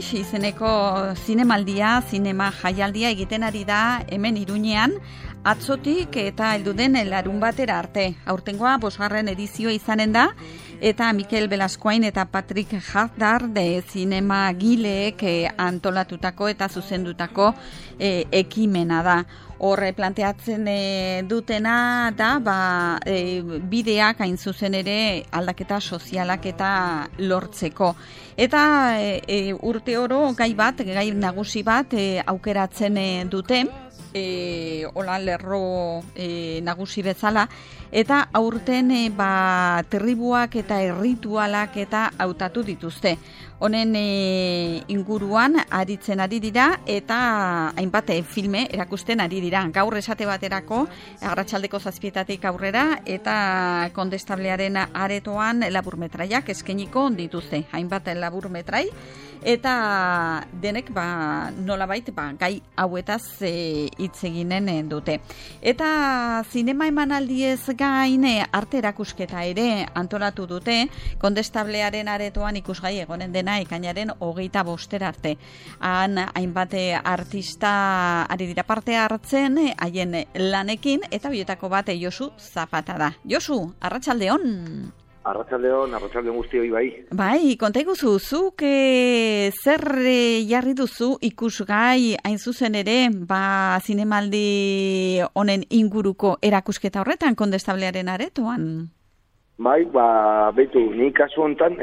Wish izeneko zinemaldia, zinema jaialdia egiten ari da hemen Iruñean, atzotik eta heldu den larunbatera arte. Aurtengoa 5. edizioa izanen da, eta Mikel Velascoain eta Patrick Haddad zinema gileek antolatutako eta zuzendutako ekimena da. Horre planteatzen dutena da bideak hain zuzen ere aldaketa sozialak eta lortzeko. Eta urte oro gai nagusi bat aukeratzen dute, hola lerro nagusi bezala, eta aurten tribuak eta erritualak eta hautatu dituzte. Honen inguruan aritzen ari dira eta hainbat filme erakusten ari dira. Gaur esate baterako arratsaldeko 7:00 aurrera eta Kondestablearen aretoan laburmetraiak eskainiko dituzte. Hainbat laburmetrai eta denek nolabait gai hauetaz hitz eginen dute. Eta zinema emanaldiez gain arte erakusketa ere antolatu dute Kondestablearen aretoan ikusgai egonen dena ekainaren 25 arte. Han hainbat artista ari dira parte hartzen haien lanekin eta bietako bat Josu Zapata da. Josu, arratsaldeon. Arratsaldeon guztioi bai. Bai, konta iguzu, zuk zer jarri duzu ikusgai hain zuzen ere, zinemaldi honen inguruko erakusketa horretan Kondestablearen aretoan? Bai, betu, ni kasu honetan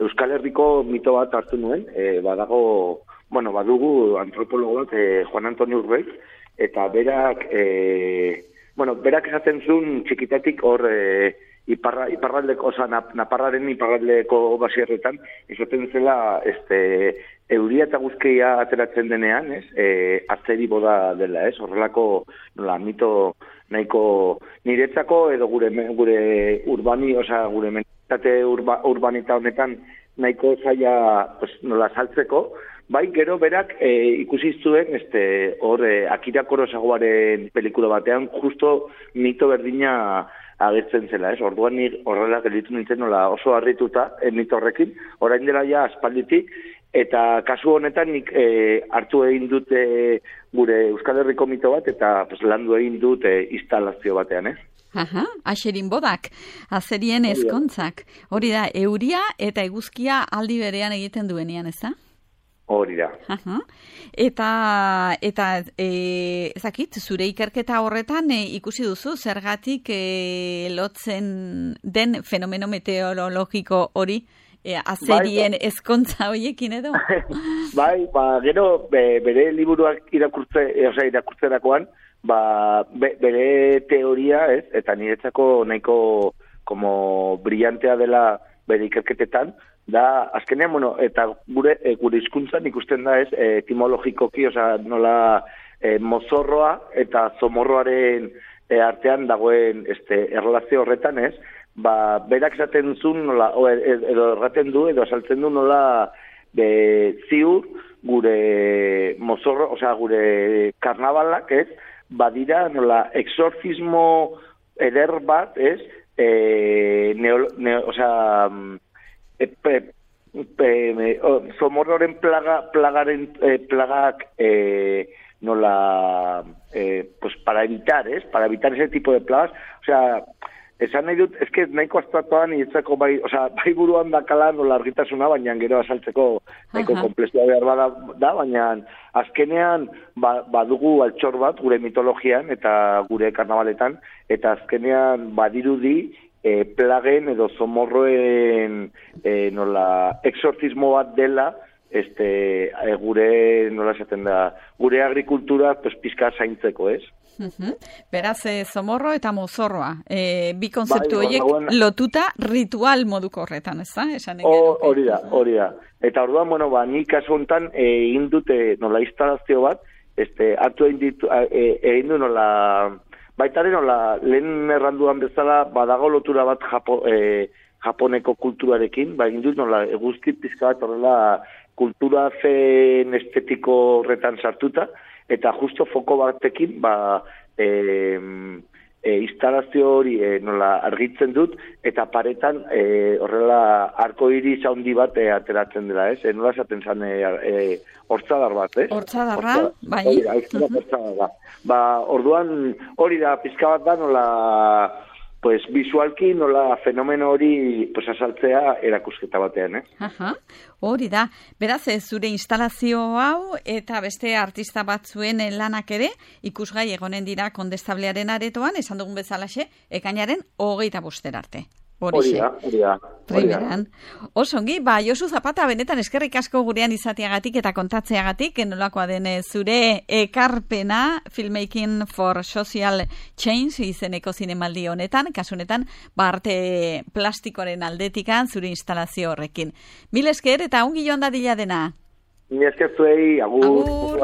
Euskal Herriko mito bat hartu nuen, badugu antropologo bat, Juan Antonio Urbeiz, eta berak esaten zuen txikitatik hor iparraldeko, Naparraren iparraldeko basierretan, esaten zela euria eta guzkia ateratzen denean, azteri boda dela, horrelako mito nahiko niretzako edo gure mentalitate urbanita honetan nahiko zaila nola saltzeko, bai gero berak ikusi zuen hor Akira Kurosawaaren pelikula batean justo mito berdina agertzen zela, orduan horrela gelditu nintzen nola oso harrituta mito horrekin, orain dela ja aspalditik, eta kasu honetan nik hartu egin dute gure Euskal Herriko mito bat eta landu egin dut instalazio batean, Aha, Axerin Bodak, azerien ezkontzak. Hori da, euria eta eguzkia aldi berean egiten duenean, ez da? Hori da. Eta ezakit, zure ikerketa horretan ikusi duzu zergatik lotzen den fenomeno meteorologiko hori azerien ezkontza horiekin edo? Bai, gero bere liburuak irakurtzerakoan, bere teoria, eta niretzako nahiko como brillantea dela bere ikerketetan, da, azkenean, eta gure hizkuntzan ikusten da etimologikoki, nola mozorroa eta zomorroaren artean dagoen erlazio horretan, berak esaten zuen, edo erraten du, edo asaltzen du nola ziur gure mozorro, gure karnabalak, badira nola exorcismo eder bat, zomorroren plagak para evitar ese tipo de plagas, esan nahi dut, nahiko aztuatuan nietzako bai buruan dakala nola argitasuna, baina gero asaltzeko nahiko komplexua behar da, baina azkenean badugu altxor bat gure mitologian eta gure karnabaletan, eta azkenean badirudi plagen edo zomorroen exorcismo bat dela gure, nola esaten da, gure agrikultura pizka zaintzeko, Beraz, zomorro eta mozorroa. Bi konzeptu horiek lotuta ritual moduko horretan, ez da? Hori da. Eta orduan, nik kasu honetan egin dute nola instalazio bat, hartu egin du nola, baitaren nola, lehen erranduan bezala, badago lotura bat Japoneko kulturarekin, egin dut nola, eguzki pizka bat horrela kultura zen estetiko horretan sartuta, eta justo foko batekin, instalazio hori nola argitzen dut, eta paretan horrela arko-iris handi bat ateratzen dela, ez? Nola esaten zan hortzadar bat, ez? Hortzadarra, bai. Hortzadarra. Orduan hori da, pizka bat da, nola pues visualki nola fenomeno hori pues azaltzea erakusketa batean, Aha, hori da. Beraz, zure instalazio hau eta beste artista batzuen lanak ere ikusgai egonen dira Kondestablearen aretoan, esan dugun bezalaxe, ekainaren 25 arte. Hori da. Primeran. Osongi, Josu Zapata, benetan eskerrik asko gurean izateagatik eta kontatzeagatik, nolakoa den zure ekarpena Filmmaking for Social Change izeneko zinemaldi honetan, kasunetan, arte plastikoaren aldetikan zure instalazio horrekin. Mil esker eta ongi joan dadila dena. Mil esker zuei, agur.